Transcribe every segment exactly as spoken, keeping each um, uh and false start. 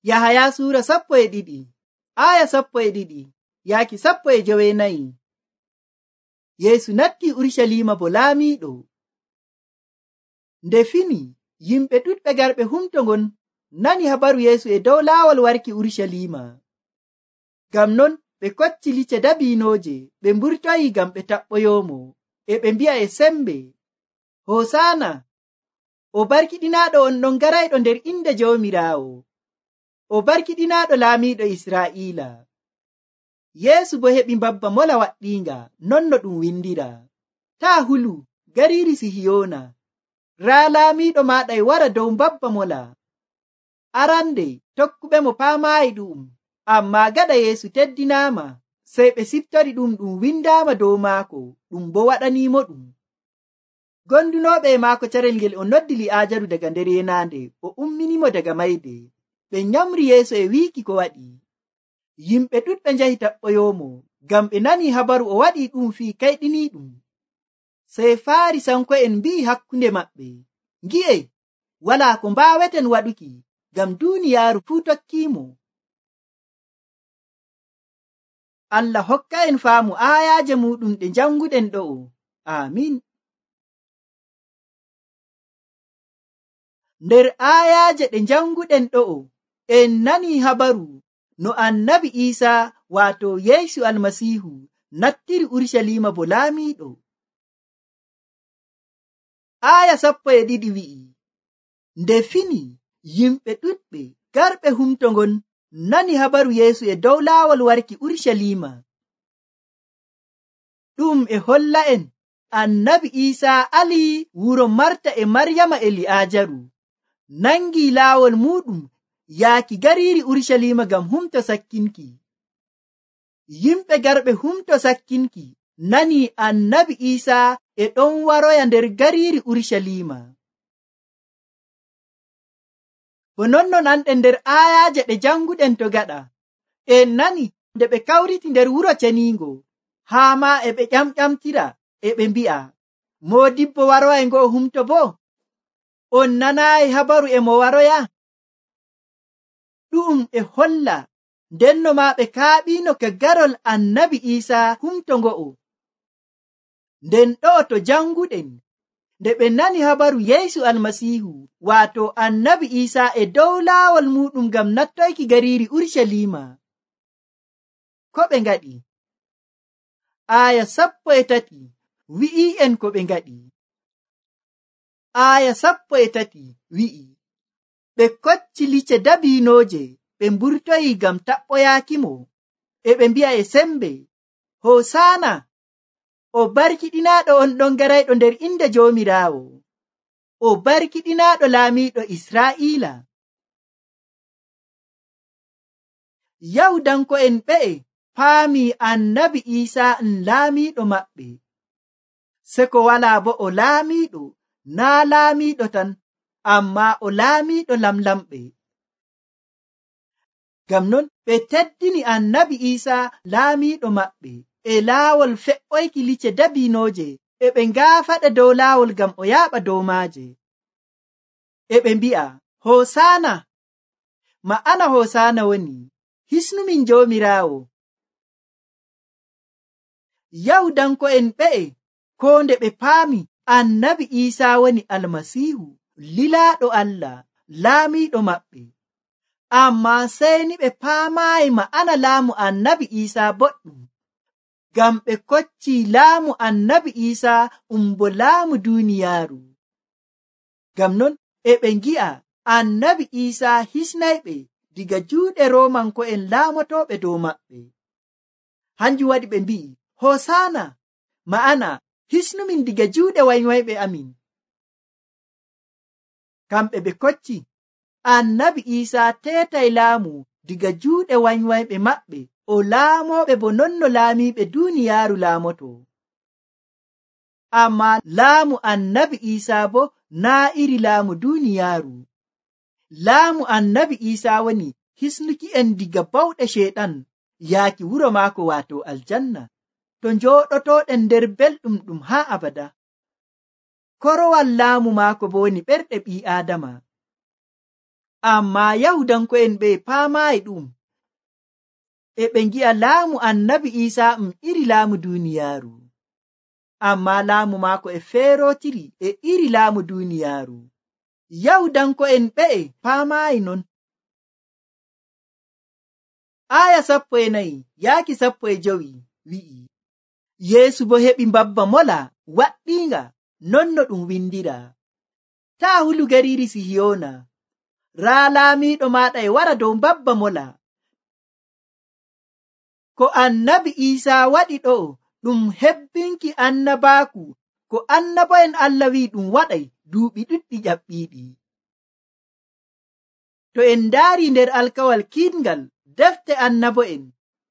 Yahaya suura sappo e ɗiɗi aya sappo e ɗiɗi yaaki sappo e jowenayi. Yeesu natti Urusalima bo laamiiɗo. Nde fini yimɓe ɗuɗɓe garɓe humto ngon nani habaru Yeesu e dow laawol warki Urusalima. Ngam non ɓe kocci lice dabiinooje ɓe mburtoyi ngam ɓe taɓɓoyoomo, e ɓe mbi'a e sembe, Hosaana, o barkiɗinaaɗo on ɗon garayɗo nder inde Joomiraawo, o barkiɗinaaɗo laamiiɗo Israa'iila. Yeesu bo heɓi mbabba mola waɗɗiinga non no ɗum windira, taa hulu gariiri Sihiyoona, raa laamiiɗo maaɗa e wara dow mbabba mola. Arande tokkuɓemo paamaayi ɗum, ammaa gaɗa Yeesu teddinaama, sey ɓe siftori ɗum ɗum windaama dow maako, ɗum bo waɗaniimo ɗum. Gondunooɓe e maako carel ngel o noddi Li'aajaru daga nder yenaande, o umminimo daga mayde. Ɓe nyamri Yeesu e wiiki ko waɗi. Yimɓe ɗuɗɓe njahi taɓɓoyoomo, ngam ɓe nani habaru o waɗi ɗum fii kayɗiniiɗum. Sey Faarisanko'en mbi'i hakkunde maɓɓe, ngi'e, walaa ko mbaaweten waɗuki, ngam duuniyaaru fuu tokkiimo. Allah hokka en faamu aayaaje muɗum ɗe janguɗen ɗo'o. Aamin. Nder aayaaje ɗe janguɗen ɗo'o, en nani habaru no annabi Iisa waato Yeesu Almasiihu nattiri Urusalima bo laamiiɗo. Aaya sappo e ɗiɗi wi'i, nde fini yimɓe ɗuɗɓe garɓe humto ngon nani habaru Yeesu e dow laawol warki Urusalima. Ɗum e holla en annabi Iisa ali wuro Marta e Maryama e Li'aajaru, nangi laawol muɗum yaaki gariiri Urusalima ngam humto sakkinki. Yimɓe garɓe humto sakkinki nani annabi Iisa e ɗon waroya nder gariiri Urusalima. Bo nonnon anɗen nder aayaaje ɗe janguɗen to gaɗa, en nani nde ɓe kawriti nder wuro ceniingo, haa ma e ɓe ƴamƴamtira e ɓe mbi'a, Moodibbo waroya e ngo'o humto bo, on nanaayi habaru e mo waroya? Ɗum e holla ndenno ma ɓe kaaɓiino ka garol annabi Iisa humto ngo'o. Nden ɗo'o to janguɗen, nde ɓe nani habaru Yeesu Almasiihu waato annabi Iisa e dow laawol muɗum ngam nattoyki gariiri Urusalima, ko ɓe ngaɗi? Aaya sappo e tati wi'i en ko ɓe ngaɗi. Aaya sappo e tati wi'i, ɓe kocci lice dabiinooje ɓe mburtoyi ngam taɓɓoyaakimo, e ɓe mbi'a e sembe, Hosaana, o barkiɗinaaɗo on ɗon garayɗo nder inde Joomiraawo, o barkiɗinaaɗo laamiiɗo Israa'iila. Yahudanko'en ɓe'e paami annabi Iisa n laamiiɗo maɓɓe, seko walaa bo o laamiiɗo, naa laamiiɗo tan, ammaa o laamiiɗo lamlamɓe. Ngam non ɓe teddini annabi Iisa laamiiɗo maɓɓe e laawol fe'oyki lice dabiinooje, e ɓe ngaafaɗe dow laawol ngam o yaaɓa dow maaje. E ɓe mbi'a, Hosaana, ma'ana Hosaana woni, hisnumin Joomiraawo. Yahudanko'en ɓe'e koo nde ɓe paami annabi Iisa woni Almasiihu, lilaaɗo Allah, laamiiɗo maɓɓe, ammaa sey ni ɓe paamaayi ma'ana laamu annabi Iisa boɗɗum, ngam ɓe kocci laamu annabi Iisa um bo laamu duuniyaaru. Ngam non e ɓe ngi'a annabi Iisa hisnayɓe diga juuɗe Roomanko'en laamotooɓe dow maɓɓe. Hanjum waɗi ɓe mbi'i, Hosaana, ma'ana hisnumin diga juuɗe waywayɓe amin. Kamɓe ɓe kocci annabi Iisa teetay laamu diga juuɗe waywayɓe maɓɓe, o laamoɓe bo nonno laamiiɓe duuniyaaru laamoto. Ammaa laamu annabi Iisa bo naa iri laamu duuniyaaru. Laamu annabi Iisa woni hisnuki en diga bawɗe Sheeɗan yaaki wuro maako waato aljanna, to njooɗotooɗen nder belɗum ɗum haa abada. Korowal laamu maako bo woni ɓerɗe ɓii Aadama. Ammaa Yahudanko'en ɓe paamaayi ɗum. E ɓe ngi'a laamu annabi Iisaa um iri laamu duuniyaaru. Ammaa laamu maako e feerotiri e iri laamu duuniyaaru. Yahudanko'en ɓe'e paamaayi non. Aya sappo e nayi yaaki sappo e jowi wi'i, Yeesu bo heɓi mbabba mola waɗɗiinga non no ɗum windira. Taa hulu gariiri Sihiyoona, raa laamiiɗo maaɗa e wara dow mbabba mola. Ko annabi Iisaa waɗi ɗo ɗum hebbinki annabaaku ko annabo'en Allah wi'i ɗum waɗay duuɓi ɗuɗɗi ƴaɓɓiiɗi. To en ndaari nder alkawal kiiɗngal defte annabo'en,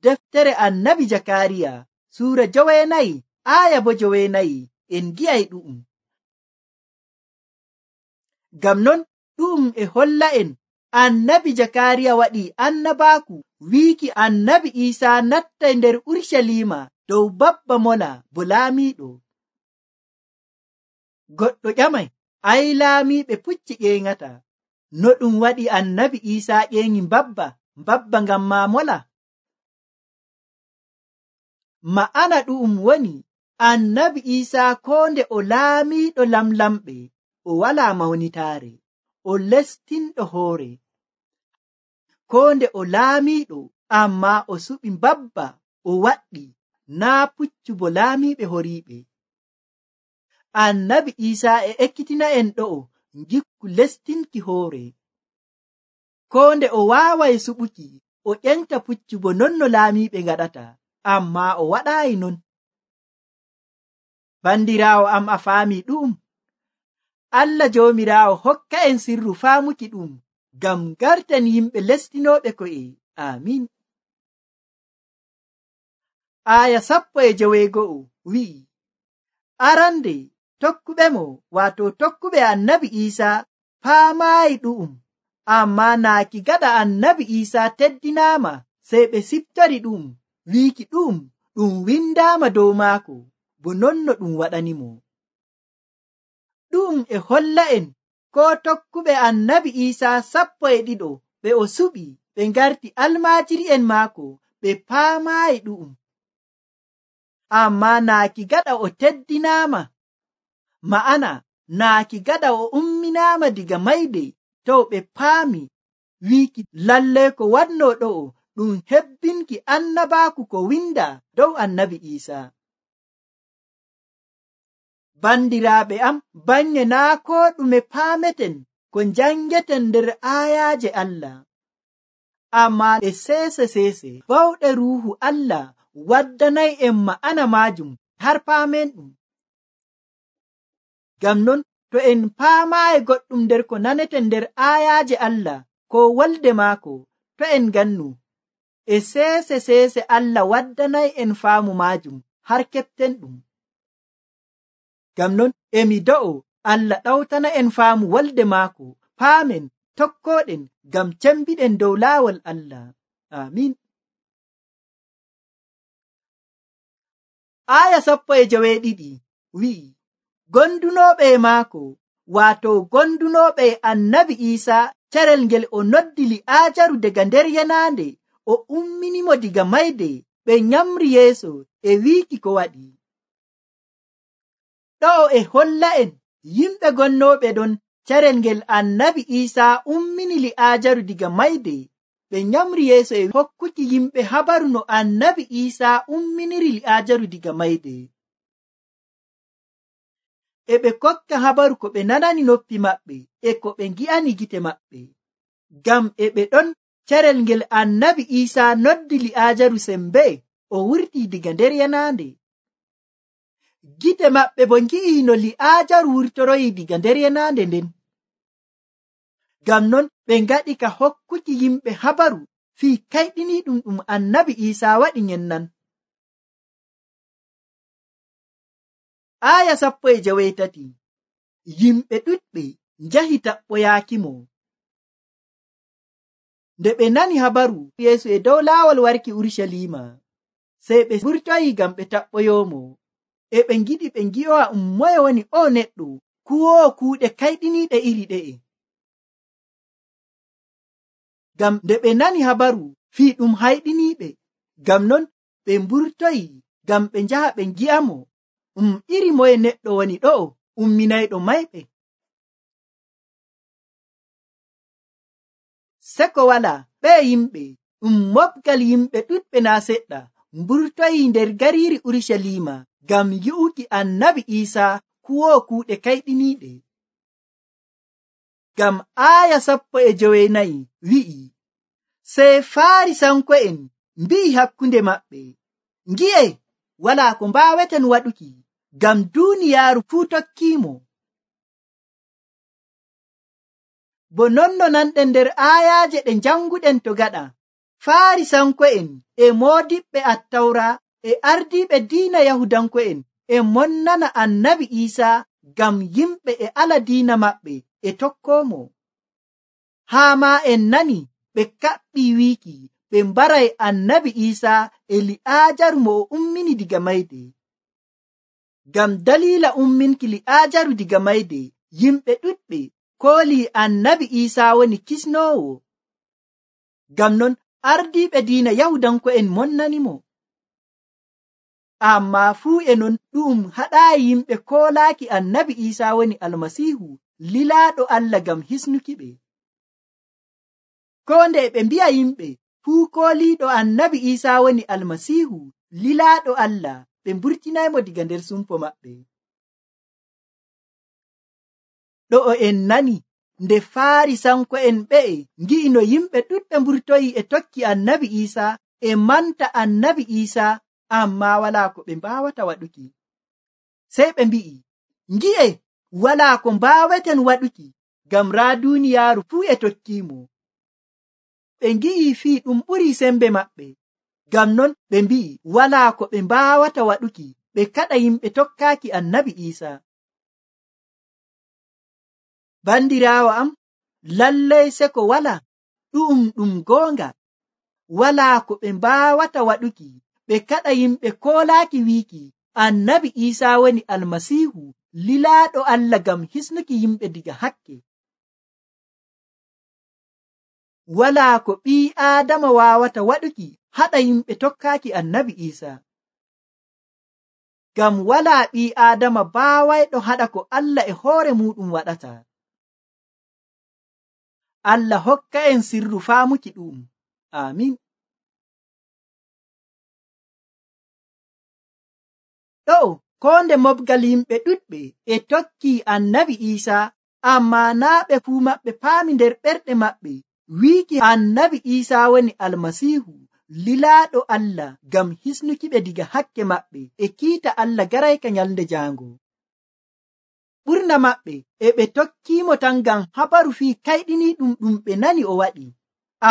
deftere annabi Jakariya suura joweenayi aaya bo joweenayi, en gi'ay ɗu'um. Ngam non ɗu'um e holla en annabi Jakariya waɗi annabaaku wiiki annabi Iisaa nattay nder Urshalima dow babba mola bo laamiiɗo. Goɗɗo ƴamay, ay laamiiɓe pucci ƴeeŋata, no ɗum waɗi annabi Iisaa ƴeeŋi mbabba mbabba ngam maa mola? Ma'ana ɗu'um woni annabi Iisaa koo nde o laamiiɗo lamlamɓe o walaa mawnitaare, o lestinɗo hoore. Koo nde o laamiiɗo ammaa o suɓi mbabba o waɗɗi, naa puccu bo laamiiɓe horiiɓe. Annabi Iisaa e ekkitina en ɗo'o ngikku lestinki hoore. Koo nde o waaway suɓuki o ƴenta puccu bo non no laamiiɓe ngaɗata, ammaa o waɗaayi non. Bandiraawo am, a faami ɗum? Allah Joomiraawo hokka en sirru faamuki ɗum ngam garten yimɓe lestinooɓe ko'e. Amiin. Aya sappo e joweego'o wi'i, arande tokkuɓe mo, waato tokkuɓe annabi Iisaa paamaayi ɗu'um, ammaa naaki gaɗa annabi Iisaa teddinaama sey ɓe siftori ɗum wiiki ɗum ɗum windaama dow maako bo non no ɗum waɗanimo. Ɗum e holla en ko tokkuɓe annabi Iisaa sappo e ɗiɗo ɓe o suɓi ɓe ngarti almaajiri'en maako ɓe paamaayi ɗum, ammaa naaki gaɗa o teddinaama, ma'ana naaki gaɗa o umminaama diga mayde to ɓe paami wiiki lallay ko wanno ɗo ɗum hebbinki annabaaku ko winda dow annabi Iisaa. Bandiraaɓe am, bannye naa koo ɗume paameten ko njangeten nder aayaaje Allah, ammaa e seese seese bawɗe ruuhu Allah waddanay en ma'ana maajum har paamen ɗum. Ngam non to en paamaayi goɗɗum nder ko naneten nder aayaaje Allah ko wolde maako, to en gannu e seese seese Allah waddanay en faamu maajum har keɓten ɗum. Ngam non emi do'o Allah ɗawtana en faamu wolde maako, paamen tokkoɗen ngam cembiɗen dow laawol Allah. Amiin. Aya sappo e joweeɗiɗi wi'i, gondunooɓe e maako, waato gondunooɓe e annabi Iisaa, carel ngel o noddi Li'aajaru daga nder yanaande, o umminimo diga mayde, ɓe nyamri yeeso e wiiki ko waɗi. Ɗo e holla en yimɓe gonnooɓe ɗon carel ngel annabi Iisaa ummini Li'aajaru diga mayde, ɓe nyamri yeeso e hokkuki yimɓe habaru no annabi Iisaa umminiri Li'aajaru diga mayde. E ɓe kokka habaru ko ɓe nanani noppi maɓɓe e ko ɓe ngi'ani gite maɓɓe, ngam e ɓe ɗon carel ngel annabi Iisaa noddi Li'aajaru sembe o wurti diga nder yanaande. Gite maɓɓe bo ngi'i no Li'aajaru wurtoroyi diga nder yanaande nden. Ngam non ɓe ngaɗi ka hokkuki yimɓe habaru fii kayɗiniiɗum ɗum annabi Iisaa waɗi nyennan. Aya sappo e joweetati, yimɓe ɗuɗɓe njahi taɓɓoyaakimo. Nde ɓe nani habaru Yeesu e dow laawol warki Urshalima, sey ɓe wurtoyi ngam ɓe taɓɓoyoomo, e ɓe ngiɗi ɓe ngi'owa um moye woni o neɗɗo kuwoowo kuuɗe kayɗiniiɗe iri ɗe'e. ngam nde ɓe nani habaru fii ɗum hayɗiniiɓe. Ngam non ɓe mburtoyi ngam ɓe njaha ɓe ngi'amo um iri moye neɗɗo woni ɗo'o umminayɗo mayɓe. Seko wala ɓe yimɓe ɗum mobgal yimɓe ɗuɗɓe naa seɗɗa mburtoyi nder gariiri Urusalima ngam yi'uki annabi Iisa kuwoo kuuɗe kayɗiniiɗe. Ngam aaya sappo e jowenayi wi'i, sey Faarisanko'en mbi'i hakkunde maɓɓe, ngi'e, walaa ko mbaaweten waɗuki, ngam duuniyaaru fuu tokkiimo. Bo nonno nanɗen nder aayaaje ɗe janguɗen to gaɗa, Faarisanko'en e moodiɓɓe Attawra e ardiiɓe diina Yahudanko'en e monnana annabi Iisa ngam yimɓe e ala diina maɓɓe e tokkoomo. Haa maa en nani ɓe kaɓɓii wiiki ɓe mbaray annabi Iisa e Li'aajaru mo o ummini diga mayde. Ngam daliila umminki Li'aajaru diga mayde, yimɓe ɗuɗɓe koolii annabi Iisa woni kisnoowo. Ngam non ardiiɓe diina Yahudanko'en monnanimo. Ammaa fuu e non ɗum haɗaayi yimɓe koolaaki annabi Iisa woni Almasiihu lilaaɗo Allah ngam hisnuki ɓe. Koo nde ɓe mbi'a yimɓe fuu kooliiɗo annabi Iisa woni Almasiihu lilaaɗo Allah, ɓe mburtinaymo diga nder sumpo maɓɓe. Ɗo'o en nani nde Faarisanko'en ɓe'e ngi'i no yimɓe ɗuɗɓe mburtoyi e tokki annabi Iisa e manta annabi Iisa, ammaa walaa ko ɓe mbaawata waɗuki. Sey ɓe mbi'i, ngi'e, walaa ko mbaaweten waɗuki, ngam raa duuniyaaru fuu e tokkiimo. Ɓe ngi'i fii ɗum ɓurii sembe maɓɓe. Ngam non ɓe mbi'i walaa ko ɓe mbaawata waɗuki, ɓe kaɗa yimɓe tokkaaki annabi Iisa. Bandiraawo am, lallay seko wala ɗum ɗum goonga. Walaa ko ɓe mbaawata waɗuki, ɓe kaɗa yimɓe koolaaki wiiki annabi Iisa woni Almasiihu lilaaɗo Allah ngam hisnuki yimɓe diga hakke. Walaa ko ɓii Aadama waawata waɗuki haɗa yimɓe tokkaaki annabi Iisa. Ngam walaa ɓii Aadama baawayɗo haɗa ko Allah e hoore muuɗum waɗata. Allah hokka en sirru faamuki ɗum. Amin. Ɗo koo nde mobgal yimɓe ɗuɗɓe e tokki annabi Iisa, ammaa naa ɓe fuu maɓɓe paami nder ɓerɗe maɓɓe wiiki annabi Iisa woni Almasiihu lilaaɗo Allah ngam hisnuki ɓe diga hakke maɓɓe e kiita Allah garayka nyalnde jaango. Ɓurna maɓɓe e ɓe tokkiimo tan ngam habaru fii kayɗiniiɗum ɗum ɓe nani o waɗi,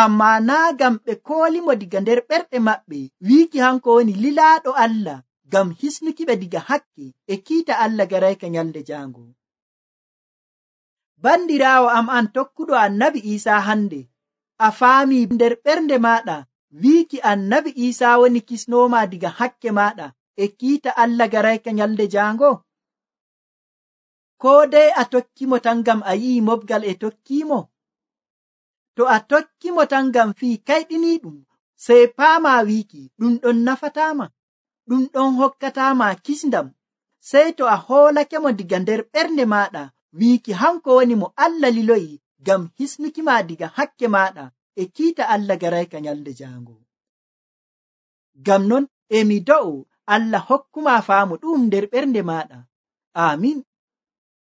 ammaa naa ngam ɓe koolimo diga nder ɓerɗe maɓɓe wiiki hanko woni lilaaɗo Allah ngam hisnuki ɓe diga hakke e kiita Allah garayka nyalnde jaango. Bandiraawo am an tokkuɗo annabi Iisa hande, a faami nder ɓernde maɗa wiiki annabi Iisa woni kisnooma diga hakke maɗa e kiita Allah garayka nyalnde jaango? Koo dai a tokkimo tan ngam a yi'i mobgal e tokkimo? To a tokkimo tan ngam fii kayɗiniiɗum, sey paama wiiki ɗum ɗon nafataama, ɗum ɗon hokkataama kisndam. Sey to a hoolakemo diga nder ɓernde maɗa wiiki hanko woni mo Allah liloyi ngam hisnuki ma diga hakke maɗa e kiita Allah garayka nyalnde jaango. Ngam non emi do'o Allah hokkuma faamu ɗum nder ɓernde maɗa. Amin.